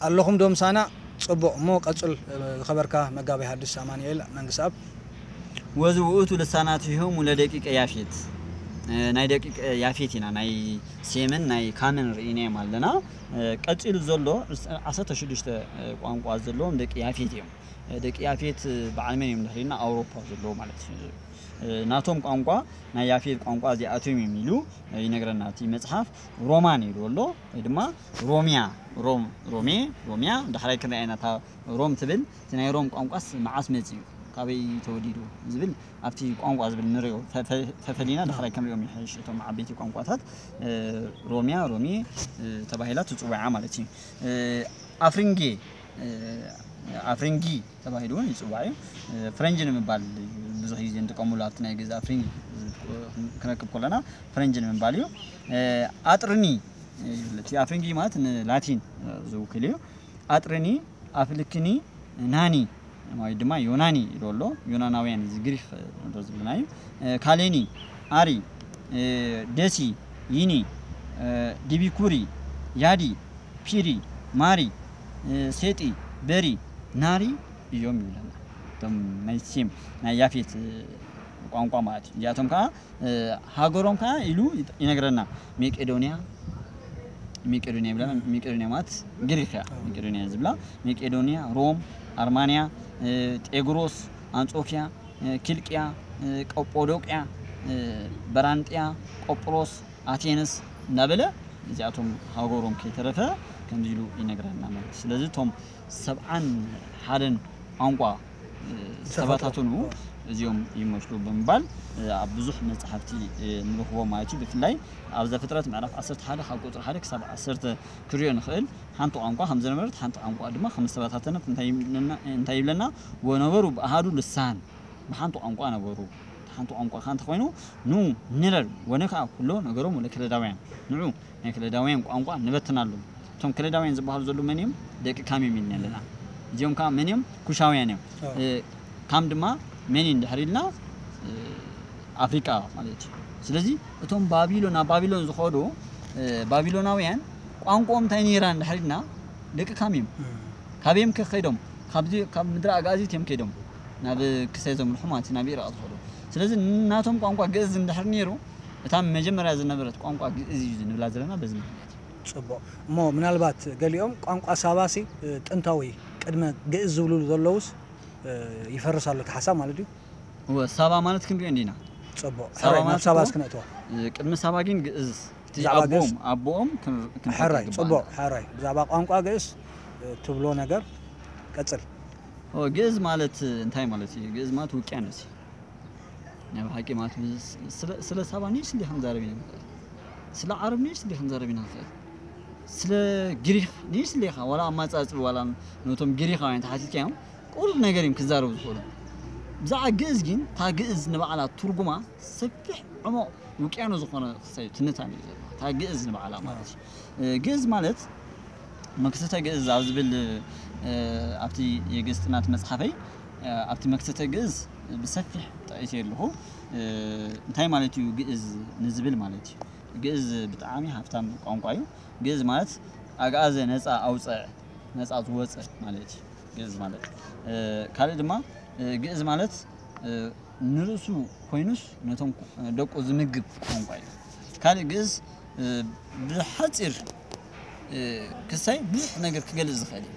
ኣለኹም ዶ ምሳና? ጽቡቕ። እሞ ቀጽል፣ ዝኸበርካ መጋቤ ሐዲስ ኣማኑኤል መንግስኣብ። ወዝውእቱ ልሳናቲሆሙ ለደቂቀ ያፌት፣ ናይ ደቂቀ ያፌት ኢና፣ ናይ ሴምን ናይ ካምን ርኢናዮም ኣለና። ቀጺሉ ዘሎ ዓሰርተ ሽዱሽተ ቋንቋ ዘለዎም ደቂ ያፌት እዮም። ደቂ ያፌት በዓል መን እዮም ድሕሪና? ኣውሮፓ ዘለዉ ማለት እዩ። ናቶም ቋንቋ፣ ናይ ያፌት ቋንቋ እዚኣቶም እዮም ኢሉ ይነግረና እቲ መጽሓፍ። ሮማን ኢሉ ኣሎ፣ ወይ ድማ ሮሚያ፣ ሮም፣ ሮሜ፣ ሮሚያ። ዳሕራይ ክንሪኣ ኢና እታ ሮም ትብል። እቲ ናይ ሮም ቋንቋስ መዓስ መጺኡ፣ ካበይ ተወሊዱ ዝብል ኣብቲ ቋንቋ ዝብል ንሪኦ፣ ፈ-፣ ፈ-፣ ፈፈሊና ዳሕራይ ክንሪኦም ይሕሽ። እቶም ዓበይቲ ቋንቋታት ሮሚያ፣ ሮሜ ተባሂላ ትጽዋዓ ማለት እዩ። ኣፍሪንጌ፣ ኣፍሪንጊ ተባሂሉ እውን ይጽዋዕ እዩ። ፍሬንጅ ንምባል ብዙሕ ግዜ ንጥቀሙሉ ኣብቲ ናይ ግእዝ ኣፍሪንጊ ክንረክብ ከለና ፍሬንጅ ንምባል እዩ። ኣጥርኒ ይብል። እቲ ኣፍሪንጊ ማለት ንላቲን ዝውክል እዩ። ኣጥርኒ፣ ኣፍልክኒ፣ ናኒ ወይ ድማ ዮናኒ ኢሉ ኣሎ። ዮናናውያን፣ እዚ ግሪክ ንብሎ ዘለና እዩ። ካሌኒ፣ ኣሪ፣ ደሲ፣ ይኒ፣ ዲቢኩሪ፣ ያዲ፣ ፒሪ፣ ማሪ፣ ሴጢ፣ በሪ፣ ናሪ እዮም ይብለና። እቶም ናይ ሴም፣ ናይ ያፌት ቋንቋ ማለት እዩ። እዚኣቶም ከዓ ሃገሮም ከዓ ኢሉ ይነግረና። ሜቄዶንያ፣ ሜቄዶንያ ይብለና። ሜቄዶንያ ማለት ግሪክ እያ። ሜቄዶንያ ዝብላ፣ ሜቄዶንያ፣ ሮም፣ ኣርማንያ፣ ጤግሮስ፣ ኣንጾኪያ፣ ኪልቅያ፣ ቀጶዶቅያ፣ በራንጥያ፣ ቆጵሮስ፣ ኣቴንስ እናበለ እዚኣቶም ሃገሮም ከይተረፈ ከምዚ ኢሉ ይነግረና ማለት እዩ። ስለዚ እቶም ሰብዓን ሓደን ቋንቋ ዝተበታተኑ እዚኦም ይመስሉ ብምባል ኣብ ብዙሕ መጽሓፍቲ ንረኽቦ ማለት እዩ። ብፍላይ ኣብ ዘፍጥረት ምዕራፍ ዓሰርተ ሓደ ካብ ቁጽሪ ሓደ ክሳብ ዓሰርተ ክሪኦ ንኽእል። ሓንቲ ቋንቋ ከም ዝነበረት፣ ሓንቲ ቋንቋ ድማ ከም ዝተበታተነት እንታይ ይብለና? እንታይ ይብለና? ወነበሩ ብኣሃዱ ልሳን፣ ብሓንቲ ቋንቋ ነበሩ። ሓንቲ ቋንቋ ከኣ እንተኾይኑ፣ ኑ ንረር ወነ ከኣ ኩሎ ነገሮም ለከለዳውያን፣ ንዑ ናይ ከለዳውያን ቋንቋ ንበትናሎም። እቶም ከለዳውያን ዝበሃሉ ዘለዉ መን እዮም? ደቂ ካም እዮም ኢልና ኣለና። እዚኦም ከኣ መን እዮም? ኩሻውያን እዮም። እ፣ ካም ድማ መን እዩ እንድሕር ኢልና፣ እ፣ ኣፍሪቃ ማለት እዩ። ስለዚ እቶም ባቢሎን፣ ናብ ባቢሎን ዝኸዱ፣ እ፣ ባቢሎናውያን ቋንቋኦም እንታይ ነይራ እንድሕር ኢልና፣ ደቂ ካም እዮም። ካበዮም ከ ከይዶም? ካብዚ፣ ካብ ምድሪ ኣጋዚት እዮም ከይዶም ናብ ክሳይ ዘምርሑ ማለት እዩ፣ ናብ ኢራቕ ዝኸዱ። ስለዚ ናቶም ቋንቋ ግእዝ እንድሕር ነይሩ፣ እታ መጀመርያ ዝነበረት ቋንቋ ግእዝ እዩ ንብላ ዘለና በዚ ምኽንያት እዩ። ጽቡቕ። እሞ ምናልባት ገሊኦም ቋንቋ ሳባሲ፣ እ፣ ጥንታዊ ቅድመ ግእዝ ዝብሉ ዘለውስ፣ እ፣ ይፈርስ ኣሎ እቲ ሓሳብ ማለት ድዩ? እወ፣ ሳባ ማለት ክንሪኦ እንዲና። ጽቡቕ። ሳባ ሕራይ፣ ናብ ማለት ሳባ እኮ እስኪ ነእትዋ። እ፣ ቅድሚ ሳባ ግን ግእዝ፣ እቲ ብዛዕባ ግእዝ ኣቦኦም፣ ኣቦኦም ክን-፣ ክንፈልጥ ሕራይ፣ ይግባኣና። ጽቡቕ፣ ሕራይ። ብዛዕባ ቋንቋ ግእዝ፣ እ፣ ትብሎ ነገር ቀጽል። ኦ፣ ግእዝ ማለት እንታይ ማለት እዩ? ግእዝ ማለት ውቅያኖስ እዩ። ናይ ብሓቂ ማለት ስ-፣ ስለ፣ ስለ ሳባ ኒሽ እንዲኻ ክንዛረብ ኢና ንኽእል። ስለ ዓረብ ኒሽ እንዲኻ ክንዛረብ ኢና ንኽእል። ስለ ግሪኽ ኒሽ እንዲኻ፣ ዋላ ኣማጻጽኢ፣ ዋላ ነቶም ግሪኻውያን ተሓቲትካዮም፣ ቁሩብ ነገር እዮም ክዛረቡ ዝኽእሉ። ብዛዕባ ግእዝ ግን፣ እታ ግእዝ ንባዕላ ትርጉማ ሰፊሕ ዕሙቕ ውቅያኖስ ዝኾነ ክሳይ ትንታነ እዩ ዘለዋ። እታ ግእዝ ንባዕላ ማለት እዩ። እ፣ ግእዝ ማለት መክሰተ ግእዝ ኣብ ዝብል፣ እ፣ ኣብቲ የግእዝ ጥናት መጽሓፈይ፣ እ፣ ኣብቲ መክሰተ ግእዝ ብሰፊሕ ጠቒሰ ኣለኹ። እ፣ እንታይ ማለት እዩ ግእዝ ንዝብል ማለት እዩ። ግእዝ ብጣዕሚ ሃብታም ቋንቋ እዩ። ግእዝ ማለት ኣግኣዘ ነጻ ኣውፅዕ፣ ነጻ ዝወፅእ ማለት እዩ። ግእዝ ማለት፣ እ፣ ካልእ ድማ፣ እ፣ ግእዝ ማለት፣ እ፣ ንርእሱ ኮይኑስ ነቶም ደቁ ዝምግብ ቋንቋ እዩ። ካልእ ግእዝ፣ እ፣ ብሓጺር፣ እ፣ ክሳይ ብዙሕ ነገር ክገልጽ ዝኽእል እዩ።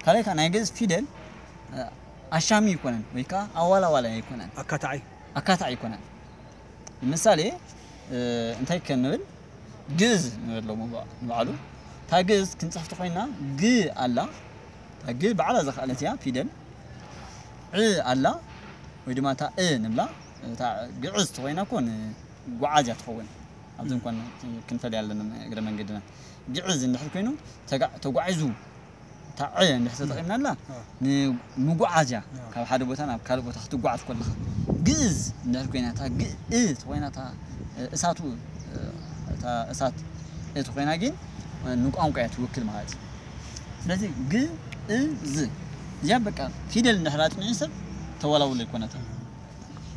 ካልእ ከኣ ናይ ግእዝ ፊደል፣ እ፣ ኣሻሚ ኣይኮነን ወይ ከኣ ኣዋላዋላይ ኣይኮነን። ኣካታዒ። ኣካታዒ ኣይኮነን። ንምሳሌ፣ እ፣ እንታይ ከ ንብል? ግእዝ ንበሎ ንባዕሉ። እታ ግእዝ ክንጽሕፍቲ ኮይና፣ ግ ኣላ። እታ ግ ባዕላ ዝኸኣለት እያ ፊደል። ዕ ኣላ፣ ወይ ድማ እታ እ ንብላ። እታ ግዕዝ ተኾይና እኮ ንጓዓዝ እያ ትኸውን። ኣብዚ እንኳን ክንፈልያ ኣለና እግረ መንገድና። ግዕዝ እንድሕር ኮይኑ፣ ተጋ-፣ ተጓዒዙ፣ እታ ዕ እንድሕር ተጠቒምናላ፣ እ። ንምጉዓዝ እያ። እ። ካብ ሓደ ቦታ ናብ ካልእ ቦታ ክትጓዓዝ ከለኻ። ግእዝ እንድሕር ኮይና፣ እታ ግ-፣ እ ተኾይና፣ እታ፣ እ፣ እሳቱ፣ እ፣ እታ እሳት እ ተኾይና ግን፣ እ፣ ንቋንቋ እያ ትውክል ማለት እዩ። ስለዚ ግ-፣ እ-፣ ዝ። እዚኣ በቃ ፊደል እንድሕር ኣጽኒዑ ሰብ ተወላውሎ ኣይኮነትን።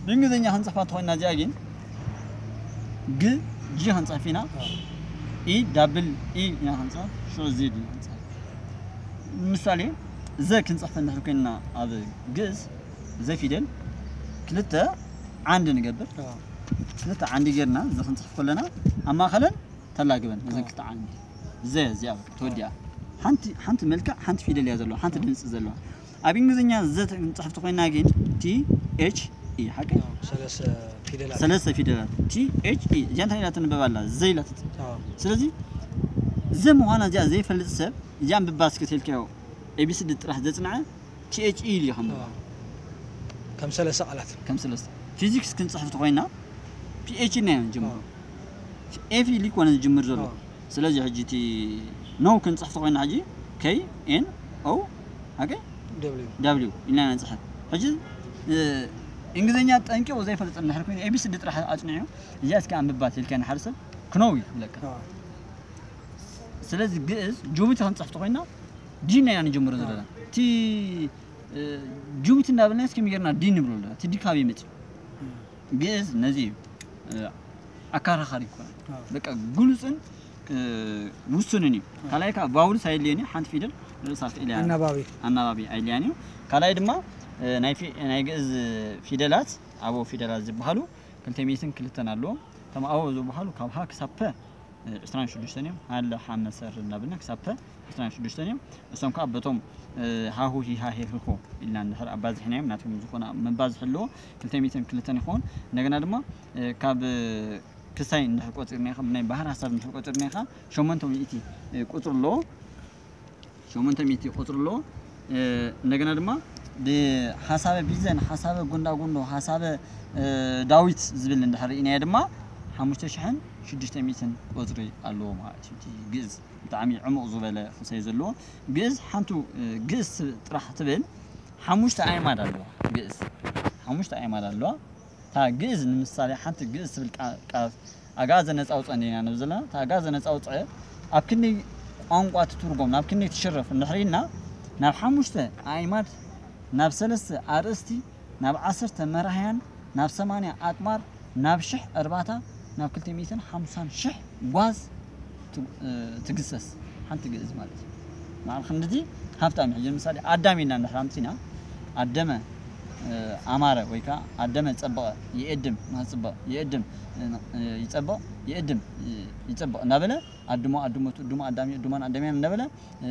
ብእንግሊዝኛ ክንጽሕፋ እንተኾይና እዚኣ ግን ግ፣ ጂ ክንጽሕፍ ኢና። ኢ ዳብል ኢ ኢና ክንጽሕፍ፣ ሽዑ ዜድ ኢና ክንጽሕፍ። ምሳሌ፣ ዘ ክንጽሕፍ እንድሕር ኮይንና ኣብ ግእዝ፣ ዘ ፊደል ክልተ ዓንዲ ንገብር። اه ክልተ ዓንዲ ጌርና ዘ ክንጽሕፍ ከለና፣ ኣብ ማእኸለን ተላግበን እዘን ክልተ ዓንዲ፣ ዘ እዚኣ ተወዲኣ። ሓንቲ ሓንቲ መልክዕ፣ ሓንቲ ፊደል እያ ዘለዋ፣ ሓንቲ ድምፂ ዘለዋ። ኣብ እንግሊዝኛ ዘ ክንጽሕፍ ተኮይና ግን፣ ቲ ኤች ኢ፣ ሓቂ? ሰለስተ ፊደላት ሰለስተ ፊደላት፣ ቲ ኤች ኢ። እዚኣ እንታይ ኢላ ትንበብ ኣላ? ዘ ኢላ ትጽ- اه ስለዚ ዘ ምዃና እዚኣ ዘይፈልጥ ሰብ፣ እዚኣ ኣንብባ እስኪ ተልካዮ፣ ኤ ቢ ሲ ዲ ጥራሕ ዘጽንዐ፣ ቲ ኤች ኢ ኢሉ ይኸምብ። اه ከም ሰለስተ ቃላት ከም ሰለስተ። ፊዚክስ ክንጽሕፍ ተኮይና፣ ፒ ኤች ኢና ንጅምሮ። ኤፍ ኢሉ ይኮነ ዝጅምር ዘሎ። اه ስለዚ ሕጂ እቲ ነው ክንጽሕፍ ተኮይና፣ ሕጂ፣ ከይ ኤን ኦ፣ ሓቂ? ደብሊው ዳብሊው ኢልና ንጽሕፍ። ሕጂ፣ እ፣ እንግሊዝኛ ጠንቂቑ ዘይፈልጥ እንድሕር ኮይኑ፣ ኤ ቢ ሲ ዲ ጥራሕ ኣጽኒዑ፣ እዚኣ እስኪ ኣንብባ ተልካዮ ንሓደ ሰብ፣ ክነው እዩ ክብለካ። اه ስለዚ ግእዝ ጅቡቲ ክንጽሕፍ ተኮይና፣ ዲ ኢና ንጅምሮ ዘለና። እቲ፣ እ፣ ጅቡቲ እንዳበልና እስኪ ጌርና ዲ ንብሎ ኣለና። እቲ ዲ ካበይ መጽዩ? ግእዝ ነዚ እዩ፣ እ፣ ኣከራኻሪ ይኮነ። اه በቃ ግሉጽን፣ እ፣ ውሱንን እዩ። ካልኣይ ከዓ ቫውልስ ኣይድልየን እዩ። ሓንቲ ፊደል ርእሳ ክኢላ እያ። ኣናባቢ ኣናባቢ ኣይድልያን እዩ። ካልኣይ ድማ፣ እ፣ ናይ ፊ-፣ ናይ ግእዝ ፊደላት፣ ኣበው ፊደላት ዝበሃሉ ክልተ ሚእትን ክልተን ኣለዎም። እቶም ኣበው ዝበሃሉ ካብ ሃ ክሳብ ፐ፣ እ፣ ዕስራን ሽዱሽተን እዮም። ሃለ፣ ሓመ፣ ሰር እናበልና ክሳብ ፐ ዕስራን ሽዱሽተን እዮም። እሶም ከዓ በቶም፣ እ፣ ሃሁ፣ ሂሃ፣ ሄ፣ ህሆ ኢልና እንድሕር ኣባዚሕናዮም፣ ናቶም ዝኾነ መባዝሒ ኣለዎ፣ ክልተ ሚእትን ክልተን ይኸውን። እንደገና ድማ፣ እ፣ ካብ፣ እ፣ ክሳይ እንድሕር ቆጺርና ኢኻ፣ ብናይ ባህር ሓሳብ እንድሕር ቆጺርና ኢኻ፣ ሸሞንተ ሚእቲ፣ እ፣ ቁጽሪ ኣለዎ። ሸሞንተ ሚእቲ ቁጽሪ ኣለዎ። እ፣ እንደገና ድማ ብሓሳበ ቢዘን፣ ሓሳበ ጎንዳጎንዶ፣ ሓሳበ፣ እ፣ ዳዊት ዝብል እንድሕር ርኢናዮ ድማ ሓሙሽተ ሽሕን ሽዱሽተ ሚእትን ቁጽሪ ኣለዎ ማለት እዩ። እቲ ግእዝ ብጣዕሚ ዕሙቕ ዝበለ ክሳይ ዘለዎ። ግእዝ ሓንቱ፣ እ፣ ግእዝ ጥራሕ ትብል ሓሙሽተ ኣዕማድ ኣለዋ። ግእዝ ሓሙሽተ ኣዕማድ ኣለዋ። እታ ግእዝ ንምሳሌ ሓንቲ ግእዝ ትብል ቃ-፣ ቃል ኣግኣዘ ነጻ ኣውጽአ እንዲና ንብል ዘለና። እታ ኣግኣዘ ነጻ ኣውጽአ ኣብ ክንደይ ቋንቋ ትትርጎም፣ ናብ ክንደይ ትሽረፍ እንድሕር ኢልና፣ ናብ ሓሙሽተ ኣዕማድ፣ ናብ ሰለስተ ኣርእስቲ፣ ናብ ዓሰርተ መራሕያን፣ ናብ ሰማንያ ኣጥማር፣ ናብ ሽሕ እርባታ፣ ናብ ክልተ ሚእትን ሓምሳን ሽሕ ጓዝ ት-፣ እ፣ ትግሰስ ሓንቲ ግእዝ ማለት እዩ። መዓል ክንድቲ ሃብታም እዩ። ሕጂ ንምሳሌ ኣዳም ኢልና እንድሕር ኣምጺና፣ ኣደመ፣ እ፣ ኣማረ ወይ ከዓ ኣደመ ጸበቐ፣ ይእድም፣ ንኽጽበቕ፣ ይእድም፣ እ፣ ይጸበቕ፣ ይእድም፣ እ፣ ይጸበቕ እናበለ፣ ኣድሞ፣ ኣድሞ፣ ትእድሞ፣ ኣዳሚ፣ እዱማን፣ ኣዳምያን እናበለ፣ እ፣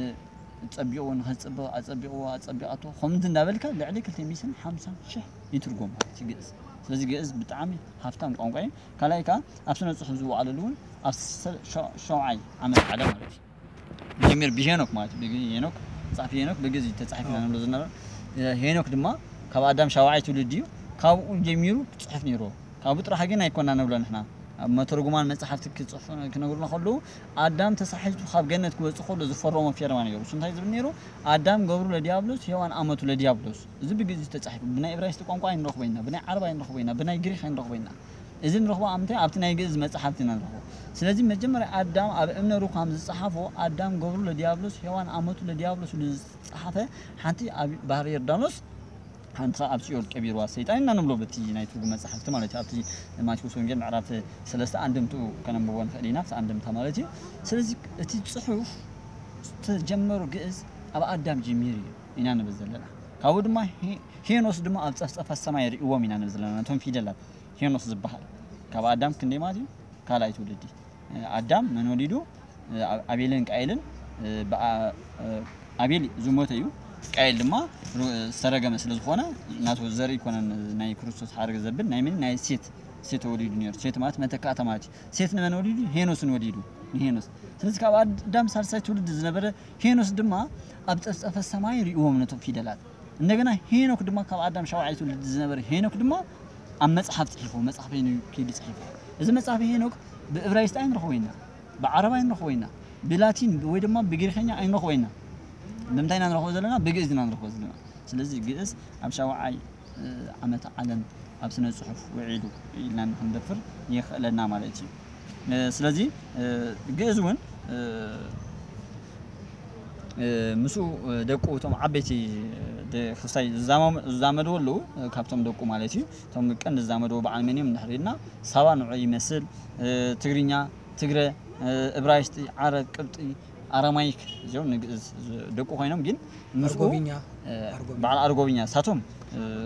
ጸቢቑ ንኽጽበቕ፣ ኣጸቢቕዎ፣ ኣጸቢቓቶ፣ ከምዚ እናበልካ ልዕሊ ክልተ ሚእትን ሓምሳን ሽሕ ይትርጎም ማለት እዩ ግእዝ። ስለዚ ግእዝ ብጣዕሚ ሃፍታም ቋንቋ እዩ። ካልኣይ ከዓ ኣብ ስነ ጽሑፍ ዝወዓለሉ እውን ኣብ ሰ-፣ ሸ-፣ ሸውዓይ ዓመት ዓለም ማለት እዩ። ጀሚር ብሄኖክ ማለት እዩ። ብግ-፣ ሄኖክ፣ ጸሓፊ ሄኖክ ብግእዝ እዩ ተጻሒፉ ኢና ንብሎ ዝነበረ። ሄኖክ ድማ ካብ ኣዳም ሻውዓይ ትውልዲ እዩ። ካብኡ ጀሚሩ ክጽሕፍ ነይርዎ። ካብኡ ጥራሕ ግን ኣይኮና ንብሎ ንሕና። ኣብ መተርጉማን መጽሓፍቲ ክጽሕፉ ክነግሩና ከለዉ፣ ኣዳም ተሳሒቱ ካብ ገነት ክወጽእ ከሎ ዝፈረሞ ፌርማ ነይሩ። እሱ እንታይ ዝብል ነይሩ? ኣዳም ገብሩ ለዲያብሎስ፣ ሄዋን ኣመቱ ለዲያብሎስ። እዚ ብግእዝ እዩ ተጻሒፉ። ብናይ እብራይስጢ ቋንቋ ኣይንረኽቦ ኢና፣ ብናይ ዓረብ ኣይንረኽቦ ኢና፣ ብናይ ግሪኽ ኣይንረኽቦ ኢና። እዚ ንረኽቦ ኣብ ምንታይ? ኣብቲ ናይ ግእዝ መጽሓፍቲ ኢና ንረኽቦ። ስለዚ መጀመርያ ኣዳም ኣብ እምነ ሩካም ዝጸሓፎ፣ ኣዳም ገብሩ ለዲያብሎስ፣ ሄዋን ኣመቱ ለዲያብሎስ ኢሉ ዝጸሓፈ፣ ሓንቲ ኣብ ባህሪ ዮርዳኖስ፣ ሓንቲ ኣብ ሲኦል ቀቢርዋ ሰይጣን ኢና ንብሎ፣ በቲ ናይ ትርጉም መጽሓፍቲ ማለት እዩ። ኣብቲ ማቴዎስ ወንጌል ምዕራፍ ሰለስተ ኣንድምትኡ ከነንብቦ ንኽእል ኢና፣ ኣብቲ ኣንድምታ ማለት እዩ። ስለዚ እቲ ጽሑፍ ዝተጀመሩ ግእዝ ኣብ ኣዳም ጀሚሩ እዩ ኢና ንብል ዘለና። ካብኡ ድማ ሄ-፣ ሄኖስ ድማ ኣብ ጸፍጸፋት ሰማይ ርእዎም ኢና ንብል ዘለና። ነቶም ፊደላት ሄኖስ ዝበሃል ካብ ኣዳም ክንደይ ማለት እዩ? ካልኣይ ትውልዲ። ኣዳም መን ወሊዱ? ኣ-፣ ኣቤልን ቃኤልን። ብኣ-፣ ኣቤል ዝሞተ እዩ። ቃኤል ድማ ሩ-፣ ዝተረገመ ስለ ዝኾነ ናቱ ዘርኢ ኣይኮነን ናይ ክርስቶስ ሓረግ ዘብል ናይ ምን? ናይ ሴት። ሴት ተወሊዱ ነይሩ። ሴት ማለት መተካእታ ማለት እዩ። ሴት ንመን ወሊዱ? ሄኖስን ወሊዱ። ንሄኖስ። ስለዚ ካብ ኣዳም ሳልሳይ ትውልዲ ዝነበረ ሄኖስ ድማ ኣብ ጸፍጸፈ ሰማይ ርእዎም ነቶም ፊደላት። እንደገና ሄኖክ ድማ ካብ ኣዳም ሻውዓይ ትውልዲ ዝነበረ ሄኖክ ድማ ኣብ መጽሓፍ ጽሒፉ፣ መጽሓፍ ሄኖክ ኢሉ ጽሒፉ። እዚ መጽሓፍ ሄኖክ ብእብራይስጢ ኣይንረኽቦ ኢና፣ ብዓረብ ኣይንረኽቦ ኢና፣ ብላቲን ወይ ድማ ብግሪኸኛ ኣይንረኽቦ ኢና። ብምንታይ ኢና ንረኽቦ ዘለና? ብግእዝ ኢና ንረኽቦ ዘለና። ስለዚ ግእዝ ኣብ ሻውዓይ፣ እ፣ ዓመተ ዓለም ኣብ ስነ ጽሑፍ ውዒሉ ኢልና ንክንደፍር የኽእለና ማለት እዩ። እ፣ ስለዚ፣ እ፣ ግእዝ እውን፣ እ፣ እ፣ ምስኡ፣ እ፣ ደቁ እቶም ዓበይቲ፣ እ፣ ደ-፣ ክስታይ ዝዛመ-፣ ዝዛመድዎ ኣለዉ፣ እ፣ ካብቶም ደቁ ማለት እዩ። እቶም ቀንዲ ዝዛመድዎ በዓል መን እዮም እንድሕር ኢልና፣ ሳባ ንዑ ይመስል፣ እ፣ ትግርኛ፣ ትግረ፣ እ፣ እብራይስጢ፣ ዓረብ፣ ቅብጢ፣ ኣራማይክ እዚኦም ንግእዝ ደቁ ኮይኖም ግን ምስኡ ኣርጎብኛ በዓል ኣርጎብኛ ሳቶም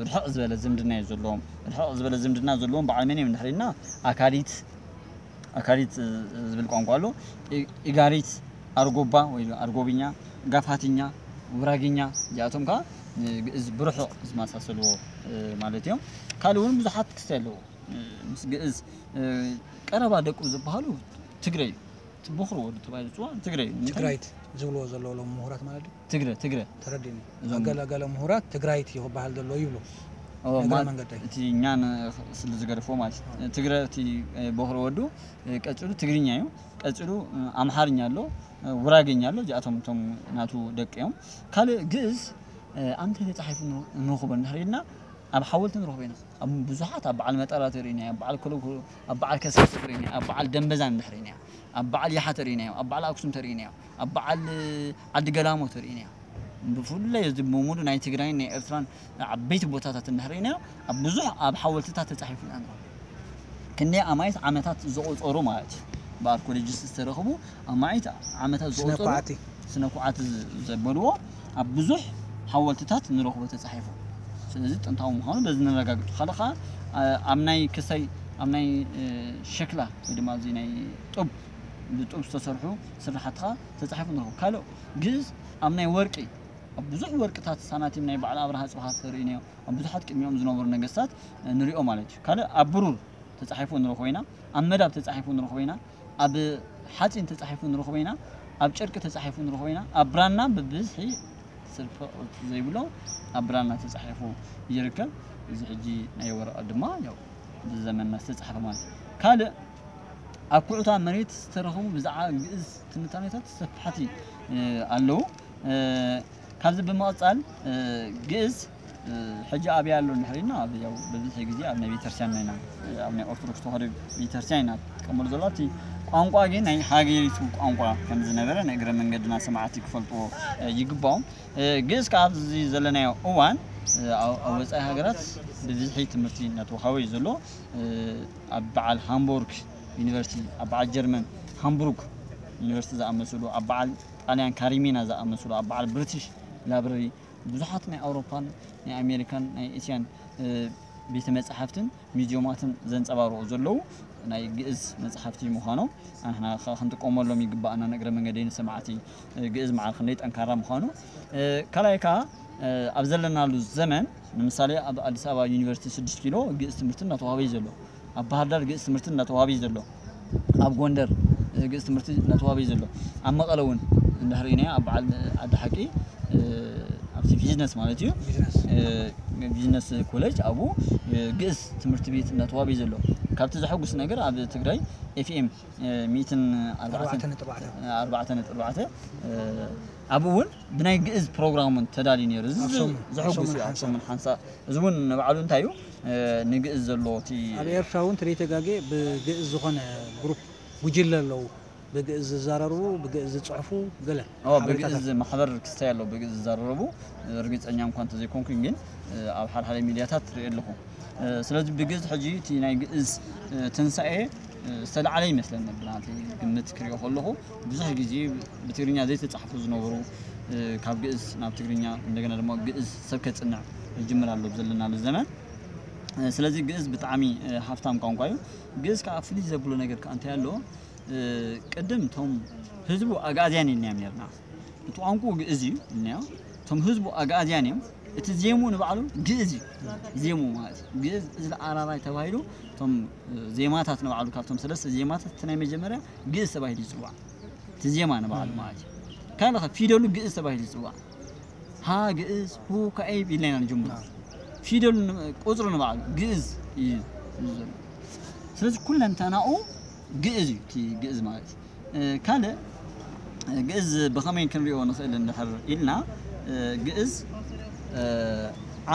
ርሕቕ ዝበለ ዝምድና እዩ ዘለዎም። ርሕቕ ዝበለ ዝምድና ዘለዎም በዓል መን እዮም እንድሕር ኢልና ኣካዲት ኣካዲት ዝብል ቋንቋ ኣሎ። ኢጋሪት፣ ኣርጎባ ወይ ኣርጎብኛ፣ ጋፋትኛ፣ ውራግኛ እዚኣቶም ከዓ ግእዝ ብርሑቕ ዝመሳሰልዎ ማለት እዮም። ካልእ እውን ብዙሓት ክስታይ ኣለዎ። ምስ ግእዝ ቀረባ ደቁ ዝበሃሉ ትግረ እዩ። እቲ ቦኽሪ ወዱ ተባሂሉ ዝፅዋዕ ትግረ እዩ። ትግራይት ዝብልዎ ዘለዉ ሎም ምሁራት ማለት እዩ። ትግረ ትግረ ተረዲኒ። እዞም- ገለ ገለ ምሁራት ትግራይት እዩ ክበሃል ዘሎ ይብሉ። ኦ፣ እግረ ማ- መንገደይ። እቲ እኛን ስለ ዝገደፍዎ ማለት እዩ። ትግረ እቲ ቦኽሪ ወዱ ቀፂሉ ትግርኛ እዩ። ቀፂሉ ኣምሓርኛ ኣሎ፣ ውራገኛ ኣሎ። እዚኣቶም እቶም ናቱ ደቂ እዮም። ካልእ ግእዝ ኣምተ ተፃሒፉ ንረኽቦ እንድሕር ኢልና ኣብ ሓወልቲ ንረኽቦ ኢና። ኣብ ብዙሓት ኣብ በዓል መጠራ ተርእይና፣ ኣብ በዓል ኮለኮ፣ ኣብ በዓል ከሰስ ተርእይና፣ ኣብ በዓል ደንበዛን እንድሕር ኢና፣ ኣብ በዓል ያሓ ተርእይና፣ ኣብ በዓል ኣክሱም ተርእይና፣ ኣብ በዓል ዓዲ ገላሞ ተርእይና። ብፍላይ እዚ ብሙሉ ናይ ትግራይን ናይ ኤርትራን ዓበይቲ ቦታታት እንድሕር ኢና ኣብ ብዙሕ ኣብ ሓወልትታት ተፃሒፉ ኢና ንረኽቦ። ክንደይ ኣማኢት ዓመታት ዘቑፀሩ ማለት እዩ። ብኣርኮሎጂስት ዝተረኽቡ ኣማኢት ዓመታት ዘቑፀሩ ስነ-ኳዕቲ። ስነ-ኳዕቲ ዘበልዎ ኣብ ብዙሕ ሓወልትታት ንረኽቦ ተፃሒፉ። ስለዚ ጥንታዊ ምዃኑ በዚ ነረጋግጡ። ካልእ ከዓ ኣብ ናይ ክሳይ ኣብ ናይ ሸክላ ወይ ድማ እዚ ናይ ጡብ ብጡብ ዝተሰርሑ ስራሕቲ ከዓ ተፃሒፉ ንረኽቦ። ካልእ ግእዝ ኣብ ናይ ወርቂ ኣብ ብዙሕ ወርቅታት ሳናቲም ናይ በዓል ኣብርሃ ፅብሃ ተርእይናዮ ኣብ ብዙሓት ቅድሚኦም ዝነበሩ ነገስታት ንሪኦ ማለት እዩ። ካልእ ኣብ ብሩር ተፃሒፉ ንረኽቦ ኢና፣ ኣብ መዳብ ተፃሒፉ ንረኽቦ ኢና፣ ኣብ ሓፂን ተፃሒፉ ንረኽቦ ኢና፣ ኣብ ጨርቂ ተፃሒፉ ንረኽቦ ኢና፣ ኣብ ብራና ብብዝሒ ስርቂ ዘይብሎ ኣብ ብራና ተፃሒፉ ይርከብ። እዚ ሕጂ ናይ ወረቐት ድማ ያው ብዘመንና ዝተፃሕፈ ማለት እዩ። ካልእ ኣብ ኩዕታ መሬት ዝተረኸቡ ብዛዕባ ግእዝ ትንታኔታት ሰፋሕቲ ኣለዉ። ካብዚ ብምቕፃል ግእዝ ሕጂ ኣበይ ኣሎ እንድሕር ኢልና ኣብ ያው ብብዝሒ ግዜ ኣብ ናይ ቤተክርስትያንና ኢና ኣብ ናይ ኦርቶዶክስ ተዋህዶ ቤተክርስትያን ኢና ትጥቀመሉ ዘሎ። እቲ ቋንቋ ግን ናይ ሃገሪቱ ቋንቋ ከም ዝነበረ ንእግረ መንገድና ሰማዕቲ ክፈልጥዎ ይግባኦም። ግእዝ ካብ ኣብዚ ዘለናዮ እዋን ኣብ ወፃኢ ሃገራት ብብዝሒ ትምህርቲ እናተዋሃበ እዩ ዘሎ። ኣብ በዓል ሃምቦርግ ዩኒቨርሲቲ፣ ኣብ በዓል ጀርመን ሃምቡርግ ዩኒቨርሲቲ ዝኣመሰሉ፣ ኣብ በዓል ጣልያን ካሪሚና ዝኣመሰሉ፣ ኣብ በዓል ብሪቲሽ ላይብረሪ ብዙሓት ናይ ኣውሮፓን ናይ ኣሜሪካን ናይ እስያን ቤተ መጻሕፍትን ሚዚዮማትን ዘንጸባርቑ ዘለዉ ናይ ግእዝ መጽሓፍቲ ምዃኖም ኣንሕና ከ ክንጥቀመሎም ይግባኣና። ንእግረ መንገደይ ንሰማዕቲ ግእዝ መዓር ክንደይ ጠንካራ ምዃኑ ካልኣይ ከኣ ኣብ ዘለናሉ ዘመን ንምሳሌ ኣብ ኣዲስ ኣበባ ዩኒቨርሲቲ ስድስት ኪሎ ግእዝ ትምህርቲ እናተዋህበ እዩ ዘሎ። ኣብ ባህር ዳር ግእዝ ትምህርቲ እናተዋህበ እዩ ዘሎ። ኣብ ጎንደር ግእዝ ትምህርቲ እናተዋህበ እዩ ዘሎ። ኣብ መቐለ እውን እንድሕር ኢና ኣብ በዓል ዓዲ ሓቂ ኣብቲ ቢዝነስ ማለት እዩ ቢዝነስ ቢዝነስ ኮሌጅ ኣብኡ ግእዝ ትምህርቲ ቤት እናተዋህበ እዩ ዘሎ። ካብቲ ዘሐጉስ ነገር ኣብ ትግራይ ኤፍኤም ሚእትን ኣርባዕተ ኣርባዕተ ነጥቢ ኣርባዕተ ኣርባዕተ ነጥቢ ኣርባዕተ ኣብኡ እውን ብናይ ግእዝ ፕሮግራም እውን ተዳልዩ ነይሩ። እዚ ኣብ ሰሙን- ዘሐጉስ ኣብ ሰሙን እዩ። ኣብ ሓንሳእ። ሰሙን ሓንሳእ እዚ እውን ንባዕሉ እንታይ እዩ ንግእዝ ዘለዎ እቲ ኣብ ኤርትራ እውን ተደይተጋጌ ብግእዝ ዝኾነ ግሩፕ ጉጅለ ኣለዉ። ብግእዝ ዝዛረርቡ፣ ብግእዝ ዝፅሕፉ ገለ ኦ ሓበሬታታት። ብግእዝ ማሕበር ክስታይ ኣሎ ብግእዝ ዝዛረቡ ርግፀኛ እንኳ እንተዘይኮንኩኝ ግን ኣብ ሓደ ሓደ ሚድያታት ትርኢ ኣለኹ። ስለዚ ብግእዝ ሕጂ እቲ ናይ ግእዝ ትንሳኤ ዝተለዓለ ይመስለኒ ብናተይ ግምት ክሪኦ ከለኹ ብዙሕ ግዜ ብትግርኛ ዘይተፃሕፉ ዝነበሩ ካብ ግእዝ ናብ ትግርኛ እንደገና ድማ ግእዝ ሰብ ከፅንዕ ይጅምር ኣሎ ዘለናሉ ዘመን። ስለዚ ግእዝ ብጣዕሚ ሃፍታም ቋንቋ እዩ። ግእዝ ከዓ ፍልይ ዘብሎ ነገር ከዓ እንታይ ኣለዎ? ቅድም እቶም ህዝቡ ኣግኣዝያን ኢልናዮም ነርና። እቲ ቋንቋ ግእዝ እዩ ኢልናዮ። እቶም ህዝቡ ኣግኣዝያን እዮም። እቲ ዜሙ ንባዕሉ ግእዝ እዩ። ዜሙ ማለት እዩ። ግእዝ እዝሊ ኣራራይ ተባሂሉ እቶም ዜማታት ንባዕሉ ካብቶም ሰለስተ ዜማታት እቲ ናይ መጀመርያ ግእዝ ተባሂሉ ይፅዋዕ። እቲ ዜማ ንባዕሉ ማለት እዩ። ካልእ ኸ ፊደሉ ግእዝ ተባሂሉ ይፅዋዕ። ሃ ግእዝ ሁ ካዒብ ኢልና ኢና ንጅምሮ። ፊደሉ ን- ቁፅሩ ንባዕሉ ግእዝ እዩ ዘሎ። ስለዚ ኩለንተናኡ ግእዝ እዩ እቲ ግእዝ ማለት እዩ። ካልእ ግእዝ ብኸመይ ክንሪኦ ንኽእል እንድሕር ኢልና ግእዝ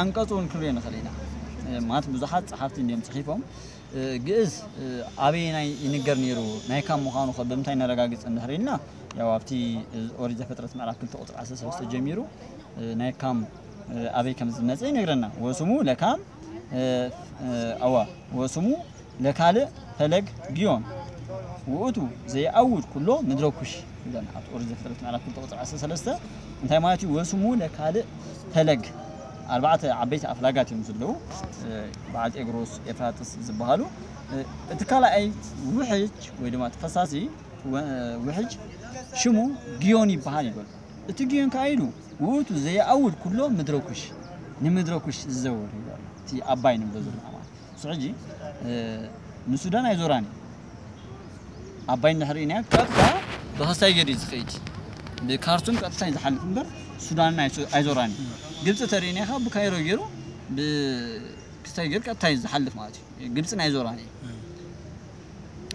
ዓንቀፁ እውን ክንሪኦ ንኽእል ኢና። ማለት ብዙሓት ፀሓፍቲ እንዲዮም ፅሒፎም ግእዝ ኣበየናይ ይንገር ነይሩ ናይ ካም ምዃኑ ከ ብምንታይ ነረጋግፅ እንድሕር ኢልና ያው ኣብቲ ኦሪት ዘፍጥረት ምዕራፍ ክልተ ቁፅሪ ዓሰርተ ሰለስተ ጀሚሩ ናይ ካም ኣበይ ከም ዝመፀ ይነግረና። ወስሙ ለካም ኣዋ ወስሙ ለካልእ ፈለግ ግዮን ውእቱ ዘይአውድ ኩሎ ምድረ ኩሽ። ይብለና ኣብቲ ኦሪት ዘፍጥረት ምዕራፍ ክልተ ቁፅሪ ዓሰርተ ሰለስተ እንታይ ማለት እዩ? ወስሙ ለካልእ ፈለግ፣ ኣርባዕተ ዓበይቲ ኣፍላጋት እዮም ዘለዉ፣ እ፣ በዓል ጤግሮስ፣ ኤፍራጥስ ዝበሃሉ። እ፣ እቲ ካልኣይ ውሕጅ ወይ ድማ እቲ ፈሳሲ ወ-፣ ውሕጅ ሽሙ ግዮን ይበሃል ይበሉ። እቲ ግዮን ከኣ ኢሉ ውእቱ ዘየኣውድ ኩሎ ምድረ ኩሽ፣ ንምድረ ኩሽ ዝዘውር ይበሉ። እቲ ኣባይ ንብሎ ዘለና ማለት ንሱ ሕጂ፣ እ፣ ንሱዳን ኣይዞራን እዩ። ኣባይ እንድሕር ርኢናዮ ቀጥታ ብክስታይ ገይሩ እዩ ዝኸይድ። ብካርቱም ቀጥታ እዩ ዝሓልፍ እምበር ሱዳንን ኣይዞ-፣ ኣይዞራን እዩ። ግብፂ ተርእይና ኢኻ ብካይሮ ገይሩ ብክስታይ ገይሩ ቀጥታ እዩ ዝሓልፍ ማለት እዩ። ግብፅን ኣይዞራን እዩ።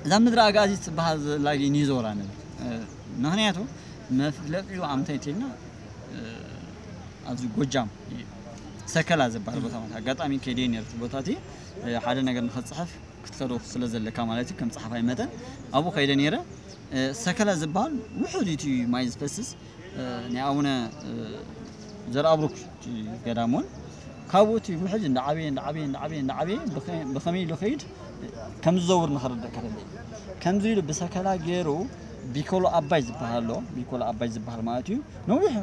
እዛ ምድሪ ኣጋዚ ትበሃል ዘላ ግን ይዞራ ንብል። እ፣ ምኽንያቱ መፍለቂኡ ኣምታይ ተልና፣ እ፣ ኣብዚ ጎጃም እዩ። ሰከላ ዝበሃል ቦታ ማለት ኣጋጣሚ ከይደ ነርት ቦታ እቲ፣ እ፣ ሓደ ነገር ንኸፅሕፍ ክትኸዶ ስለ ዘለካ ማለት እዩ። ከም ጸሓፋይ መጠን ኣብኡ ከይደ ነይረ። እ፣ ሰከላ ዝበሃል ውሑድ እዩ እቲ ማይ ዝፈስስ፣ እ፣ ናይ ኣቡነ፣ እ፣ ዘርኣብሩክ እቲ ገዳም እውን ካብኡ እቲ ውሕጅ እንዳዓበየ፣ እንዳዓበየ፣ እንዳዓበየ፣ እንዳዓበየ ብኸ-፣ ብኸመይ ኢሉ ከይድ ከም ዝዘውር ንኸረደእካ ደለየ። ከምዚ ኢሉ ብሰከላ ገይሩ ቢኮሎ ኣባይ ዝበሃል ኣሎ። ቢኮሎ ኣባይ ዝበሃል ማለት እዩ። ነዊሕ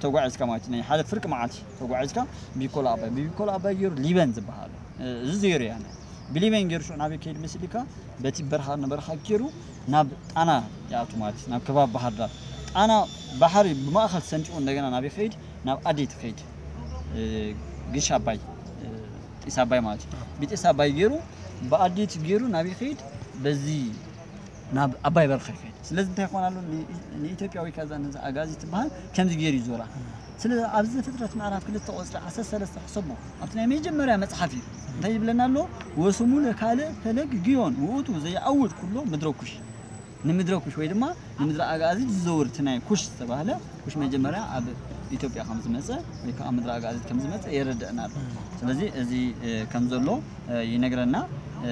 ተጓዒዝካ ማለት እዩ። ናይ ሓደ ፍርቂ መዓልቲ ተጓዒዝካ ቢኮሎ ኣባይ። ብቢኮሎ ኣባይ ገይሩ ሊበን ዝበሃል ኣሎ። እ፣ እዚ ዜሮ እያ። ብሊበን ገይሩ ሽዑ ናበይ ከይድ መሲልካ? በቲ በረኻ ንበረኻ ገይሩ ናብ ጣና ይኣቱ ማለት እዩ። ናብ ከባቢ ባህር ዳር። ጣና ባሕሪ ብማእኸል ሰንጢቑ እንደገና ናበይ ከይድ? ናብ ኣዴት ከይድ። እ፣ ግሽ ኣባይ፣ እ፣ ጢስ ኣባይ ማለት እዩ። ብጢስ ኣባይ ገይሩ ብኣዴት ገይሩ ናበይ ከይድ? በዚ ናብ ኣባይ በረኻ ይኸይድ። ስለዚ እንታይ ይኾን ኣሎ? ን-፣ ንኢትዮጵያ ወይ ከዛ ነዛ ኣጋዚ ትበሃል ከምዚ ገይሩ ይዞራ። ስለዚ ኣብዚ ዘፍጥረት ምዕራፍ ክልተ ቁፅሪ ዓሰርተ ሰለስተ ሕሰቦ። ኣብቲ ናይ መጀመርያ መጽሓፍ እዩ። እንታይ ይብለና ኣሎ? "ወስሙ ለካልእ ፈለግ ግዮን ውእቱ ዘይዓውድ ኩሎ ምድረ ኩሽ።" ንምድረ ኩሽ ወይ ድማ ንምድረ ኣጋዚ ዝዘውር እቲ ናይ ኩሽ ዝተባህለ ኩሽ መጀመርያ ኣብ ኢትዮጵያ ከም ዝመጸ ወይ ከዓ ምድረ ኣጋዚ ከም ዝመጸ የረድእና ኣሎ። ስለዚ እዚ፣ እ፣ ከም ዘሎ፣ እ፣ ይነግረና። እ፣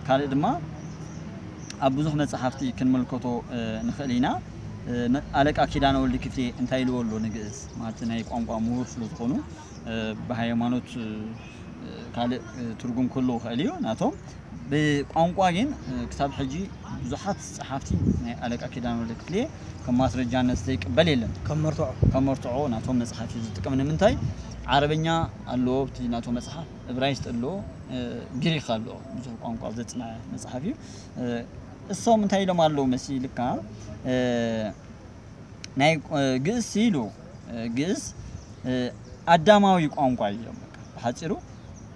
ካልእ ድማ ኣብ ብዙሕ መጽሓፍቲ ክንምልከቶ፣ እ፣ ንኽእል ኢና። እ፣ ነ-፣ ኣለቃ ኪዳነ ወልድ ክፍሌ እንታይ ኢልዎ ኣሎ ንግእዝ? ማለት ናይ ቋንቋ ምሁር ስለ ዝኾኑ፣ እ፣ ብሃይማኖት፣ እ፣ ካልእ፣ እ፣ ትርጉም ክህልዎ ይኽእል እዩ ናቶም። ብቋንቋ ግን፣ እ፣ ክሳብ ሕጂ ብዙሓት ጸሓፍቲ ናይ ኣለቃ ኪዳነ ወልድ ክፍሌ ከም ማስረጃነት ዘይቅበል የለን። ከም መርትዖ። ከም መርትዖ ናቶም መጽሓፍ እዩ ዝጥቀም። ንምንታይ? ዓረበኛ ኣለዎ፣ ኣብቲ ናቶም መጽሓፍ፣ እብራይስጥ ኣለዎ፣ እ፣ ግሪኽ ኣለዎ። ብዙሕ ቋንቋ ዘጽንዐ መጽሓፍ እዩ። እ፣ እሶም እንታይ ኢሎም ኣለዉ መሲልካ? እ፣ ናይ፣ እ፣ ግእዝ ኢሉ፣ እ፣ ግእዝ፣ እ፣ ኣዳማዊ ቋንቋ እዩ ኢሎም። በቃ ብሓጺሩ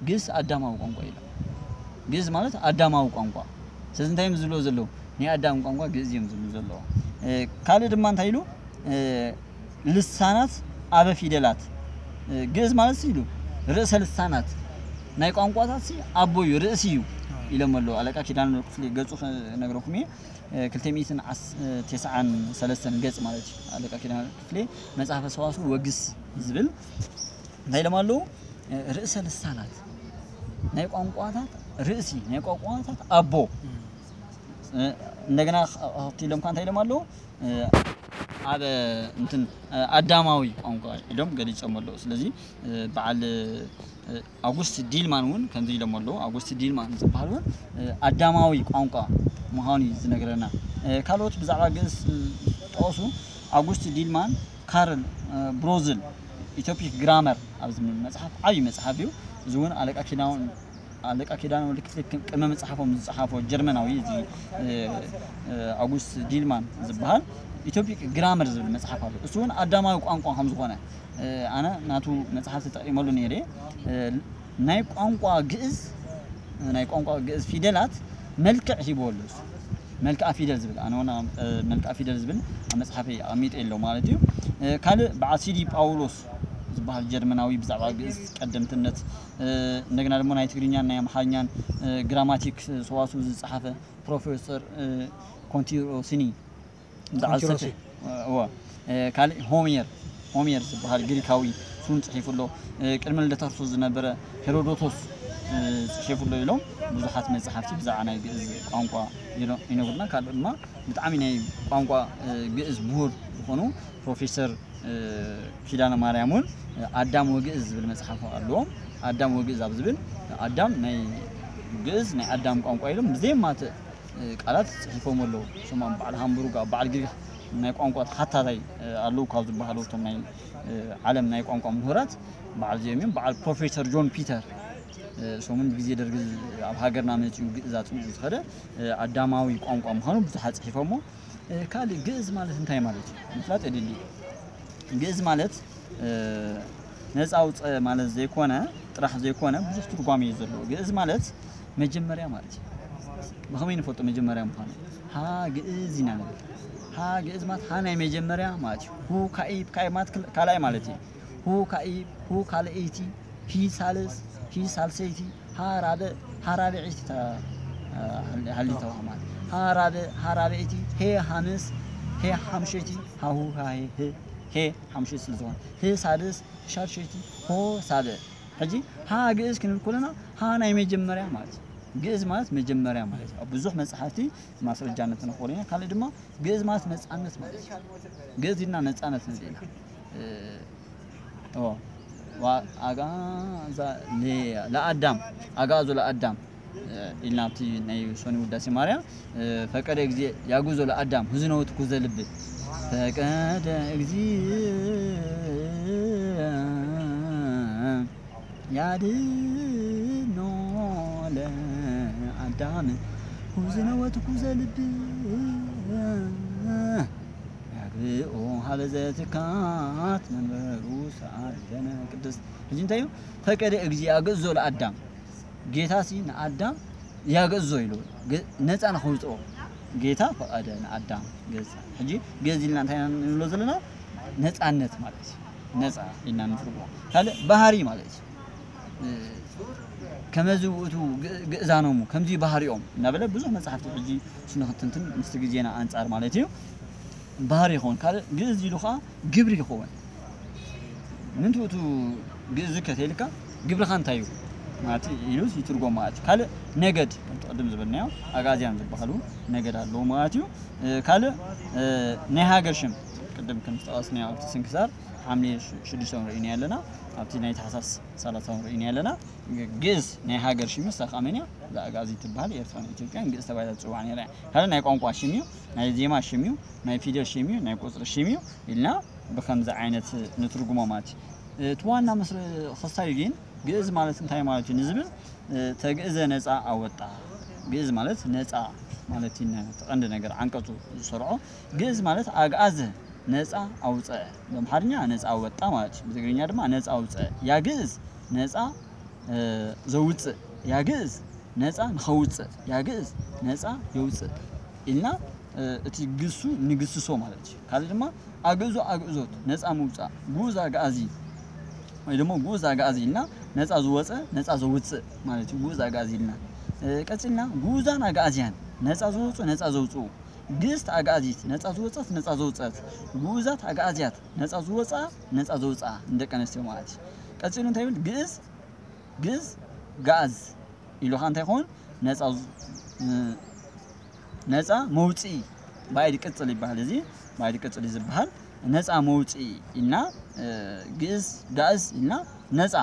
ግእዝ ኣዳማዊ ቋንቋ እዩ ኢሎም። ግእዝ ማለት ኣዳማዊ ቋንቋ። ስለዚ እንታይ እዮም ዝብልዎ ዘለዉ? ናይ ኣዳም ቋንቋ ግእዝ እዮም ዝብሉ ዘለዉ። እ፣ ካልእ ድማ እንታይ ኢሉ? እ፣ ልሳናት ኣበ ፊደላት። እ፣ ግእዝ ማለት ኢሉ ርእሰ ልሳናት ናይ ቋንቋታት ሲ ኣቦ እዩ፣ ርእሲ እዩ ኢሎም ኣለዉ። ኣለቃ ኪዳነ ክፍሌ ገጹ ክነግረኩም እየ። እ፣ ክልተ ሚእትን ዓስ-፣ እ፣ ተስዓን ሰለስተን ገጽ ማለት እዩ። ኣለቃ ኪዳነ ክፍሌ መጽሓፈ ሰዋስው ወግስ ዝብል እንታይ ኢሎም ኣለዉ? እ፣ ርእሰ ልሳናት ናይ ቋንቋታት ርእሲ፣ ናይ ቋንቋታት ኣቦ። እ፣ እንደገና ኽ-፣ ኣብቲ ኢሎም ከ እንታይ ኢሎም ኣለዉ? እ፣ ኣብ እንትን፣ እ፣ ኣዳማዊ ቋንቋ ኢሎም ገሊጾም ኣለዉ። ስለዚ፣ እ፣ በዓል፣ እ፣ ኣጉስት ዲልማን እውን ከምዚ ኢሎም ኣለዉ። ኣጉስት ዲልማን ዝበሃል እውን፣ እ፣ ኣዳማዊ ቋንቋ ምዃኑ እዩ ዝነግረና። እ፣ ካልኦት ብዛዕባ ግእዝ፣ እ፣ ጠቐሱ። ኣጉስት ዲልማን፣ ካርል፣ እ፣ ብሮዝል፣ ኢትዮፒክ ግራመር ኣብ ዝብል መጽሓፍ፣ ዓብዪ መጽሓፍ እዩ። እዚ እውን ኣለቃ ኪዳነ፣ ኣለቃ ኪዳነ ወልድ ክፍሌ ቅድመ መጽሓፎም ዝጸሓፎ ጀርመናዊ፣ እዚ፣ እ፣ እ፣ ኣጉስት ዲልማን ዝበሃል ኢትዮፒክ ግራመር ዝብል መጽሓፍ ኣሎ። እሱ እውን ኣዳማዊ ቋንቋ ከም ዝኾነ፣ እ፣ ኣነ ናቱ መጽሓፍ ተጠቒመሉ ነይረ። እ፣ ናይ ቋንቋ ግእዝ፣ ናይ ቋንቋ ግእዝ ፊደላት መልክዕ ሂብዎ ኣሎ እሱ። መልክዓ ፊደል ዝብል፣ ኣነ እውን፣ እ፣ መልክዓ ፊደል ዝብል ኣብ መጽሓፈይ ኣቐሚጠ ኣሎ ማለት እዩ። እ፣ ካልእ በዓል ሲዲ ጳውሎስ ዝበሃል ጀርመናዊ ብዛዕባ ግእዝ ቀደምትነት፣ እ፣ እንደገና ድማ ናይ ትግርኛን ናይ ኣምሓርኛን፣ እ፣ ግራማቲክ ሰዋስው ዝጸሓፈ ፕሮፌሰር፣ እ፣ ኮንቲሮሲኒ ብዛዕባ ኮንቲሮሲ። ዝሰፍሕ፣ እወ፣ እ፣ ካልእ ሆሜር፣ ሆሜር ዝበሃል ግሪካዊ እሱን ጽሒፉ ኣሎ። እ፣ ቅድሚ ልደተ ክርስቶስ ዝነበረ ሄሮዶቶስ፣ እ፣ ጽሒፉ ኣሎ ኢሎም ብዙሓት መጽሓፍቲ ብዛዕባ ናይ ግእዝ ቋንቋ ይነ-፣ ይነግሩና። ካልእ ድማ ብጣዕሚ ናይ ቋንቋ፣ እ፣ ግእዝ ምሁር ዝኾኑ ፕሮፌሰር፣ እ፣ ኪዳነ ማርያም እውን፣ እ፣ ኣዳም ወግእዝ ዝብል መጽሓፍ ኣለዎም። ኣዳም ወግእዝ ኣብ ዝብል ኣዳም ናይ ግእዝ ናይ ኣዳም ቋንቋ ኢሎም ብዘየማትእ እ፣ ቃላት ጽሒፎም ኣለዉ። እሶም ኣብ በዓል ሃምቡርግ፣ ኣብ በዓል ግሪኽ ናይ ቋንቋ ተሓታታይ ኣለዉ ካብ ዝበሃሉ እቶም ናይ ዓለም ናይ ቋንቋ ምሁራት በዓል እዚኦም እዮም። በዓል ፕሮፌሰር ጆን ፒተር እሶምን ብግዜ ደርጊ ኣብ ሃገርና መፅኡ ግእዝ ኣፅኒዑ ዝኸደ ኣዳማዊ ቋንቋ ምዃኑ ብዙሓት ፅሒፎሞ። ካልእ ግእዝ ማለት እንታይ ማለት እዩ ምፍላጥ የድሊ። ግእዝ ማለት ነፃ ኣውፀ ማለት ዘይኮነ ጥራሕ ዘይኮነ ብዙሕ ትርጓሜ እዩ ዘለዎ። ግእዝ ማለት መጀመርያ ማለት እዩ። ብኸመይ ንፈልጦ መጀመርያ ምዃኑ? ሃ ግእዝ ኢና ንብል። ሃ ግእዝ ማለት ሃ ናይ መጀመርያ ማለት እዩ። ሁ ካኢብ፣ ካኢብ ማለት ክል- ካልኣይ ማለት እዩ። ሁ ካኢብ፣ ሁ ካልኣይቲ፣ ሂ ሳልስ፣ ሂ ሳልሰይቲ፣ ሃ ራብዕ፣ ሃ ራብዐይቲ ተ- ሃሊተዋ ማለት ሃ ራብዕ፣ ሃ ራብዐይቲ፣ ሄ ሃምስ፣ ሄ ሓምሸይቲ፣ ሃሁ፣ ሃ ሄ፣ ሄ፣ ሄ ሓምሸይቲ ስለ ዝኾነ ህ ሳድስ፣ ህ ሻድሸይቲ፣ ሆ ሳብዕ። ሕጂ ሃ ግእዝ ክንብል ከለና ሃ ናይ መጀመርያ ማለት እዩ። ግእዝ ማለት መጀመርያ ማለት እዩ። ኣብ ብዙሕ መጽሓፍቲ ማስረጃነት ንኽእል ኢና። ካልእ ድማ ግእዝ ማለት ነጻነት ማለት እዩ። ግእዝ ኢልና ነጻነት ንብል ኢና። እ፣ ኦ፣ ዋ- ኣጋ- ዛ- ለ- ለኣዳም ኣጋዞ ለኣዳም ኢልና ኣብቲ ናይ ሶኒ ውዳሴ ማርያም ፈቀደ ግዜ ያጉዞ ለአዳም ህዝኖ ትኩዘ ልብ ፈቀደ ግዜ ያድኖ ለአዳም ህዝኖ ትኩዘ ልብ ያግብኦ ሀበዘ ትካት መንበሩ ሰዓል ዘነ ቅድስት። ሕጂ እንታይ እዩ? ፈቀደ እግዚእ ያግዞ ለአዳም ጌታ ሲ ንኣዳም ያገዞ ኢሉ ነፃ ንኸውፅኦ ጌታ ፈቐደ ንኣዳም ገዛ። ሕጂ ገዝ ኢልና እንታይ ንብሎ ዘለና? ነፃነት ማለት እዩ። ነፃ ኢልና ንትርጉሞ። ካልእ ባህሪ ማለት እዩ። ከመዚ ውእቱ ግእዛኖሙ ከምዚ ባህሪኦም እናበለ ብዙሕ መፅሓፍቲ ሕጂ ስንክትንትን ምስቲ ግዜና ኣንፃር ማለት እዩ። ባህሪ ይኸውን። ካልእ ግእዝ ኢሉ ከዓ ግብሪ ይኸውን። ምንትኡ እቲ ግእዝ ከተይልካ ግብርኻ እንታይ እዩ ማለት ኢሉ ይትርጎም ማለት እዩ። ካልእ ነገድ ከምቲ ቅድም ዝበልናዮ ኣጋዝያን ዝበሃሉ ነገድ ኣለዉ ማለት እዩ። ካልእ ናይ ሃገር ሽም ቅድም ከም ዝጠቐስናዮ ኣብቲ ስንክሳር ሓምሌ ሽዱሽተ ንርእዩ ኣለና። ኣብቲ ናይ ታሕሳስ ሰላሳ ንርእዩ ኣለና። ግእዝ ናይ ሃገር ሽም እዩ። እሳ ከዓ መን እያ? እዛ ኣጋዚ ትበሃል ኤርትራን ኢትዮጵያን ግእዝ ተባሂላ ትፅዋዕ ነይራ እያ። ካልእ ናይ ቋንቋ ሽም እዩ። ናይ ዜማ ሽም እዩ። ናይ ፊደል ሽም እዩ። ናይ ቁፅሪ ሽም እዩ ኢልና ብከምዚ ዓይነት ንትርጉሞ ማለት እዩ። እቲ ዋና ምስ ክስታዩ ግን ግእዝ ማለት እንታይ ማለት እዩ ንዝብል ተግእዘ ነፃ ኣወጣ። ግእዝ ማለት ነፃ ማለት እዩ። እቲ ቀንዲ ነገር ዓንቀፁ ዝሰርዖ ግእዝ ማለት ኣግኣዘ ነፃ ኣውፀአ። ብኣምሓርኛ ነፃ ኣወጣ ማለት እዩ። ብትግርኛ ድማ ነፃ ኣውፀአ። ያግእዝ ነፃ ዘውፅእ ያግእዝ ነፃ ንኸውፅእ ያግእዝ ነፃ የውፅእ ኢልና እቲ ግሱ ንግስሶ ማለት እዩ። ካልእ ድማ ኣግእዞ ኣግእዞት ነፃ ምውፃእ ግኡዝ ኣግኣዚ ወይ ደግሞ ግኡዝ ኣግኣዚ ኢልና ነፃ ዝወፀ ነፃ ዘውፅእ ማለት እዩ። ግኡዝ ኣግኣዚ ኢልና ቀፂልና ግኡዛን ኣግኣዝያን ነፃ ዝወፁ ነፃ ዘውፅኡ ግእዝት ኣግኣዚት ነፃ ዝወፀት ነፃ ዘውፀት ግኡዛት ኣግኣዝያት ነፃ ዝወፅኣ ነፃ ዘውፅኣ ንደቂ ኣንስትዮ ማለት እዩ። ቀፂሉ እንታይ ይብል? ግእዝ ግእዝ ጋእዝ ኢሉኻ እንታይ ይኸውን? ነፃ ዝ- እ፣ ነፃ መውፅኢ ባይድ ቅፅል ይበሃል። እዚ ባይድ ቅፅል እዩ ዝበሃል። ነፃ መውፅኢ ኢልና እ፣ ግእዝ ጋእዝ ኢልና ነፃ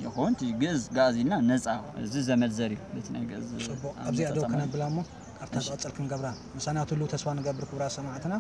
ይኸውን። እቲ ግእዝ ጋእዝ ኢልና ነፃ እዚ ዘመድ ዘር እዩ። በቲ ናይ ግእዝ ፅቡቕ ኣብዚኣ ደው ክነብላ እሞ ኣብታ ዝቐፅል ክንገብራ ምሳና ትህልው ተስፋ ንገብር ክቡራት ሰማዕትና።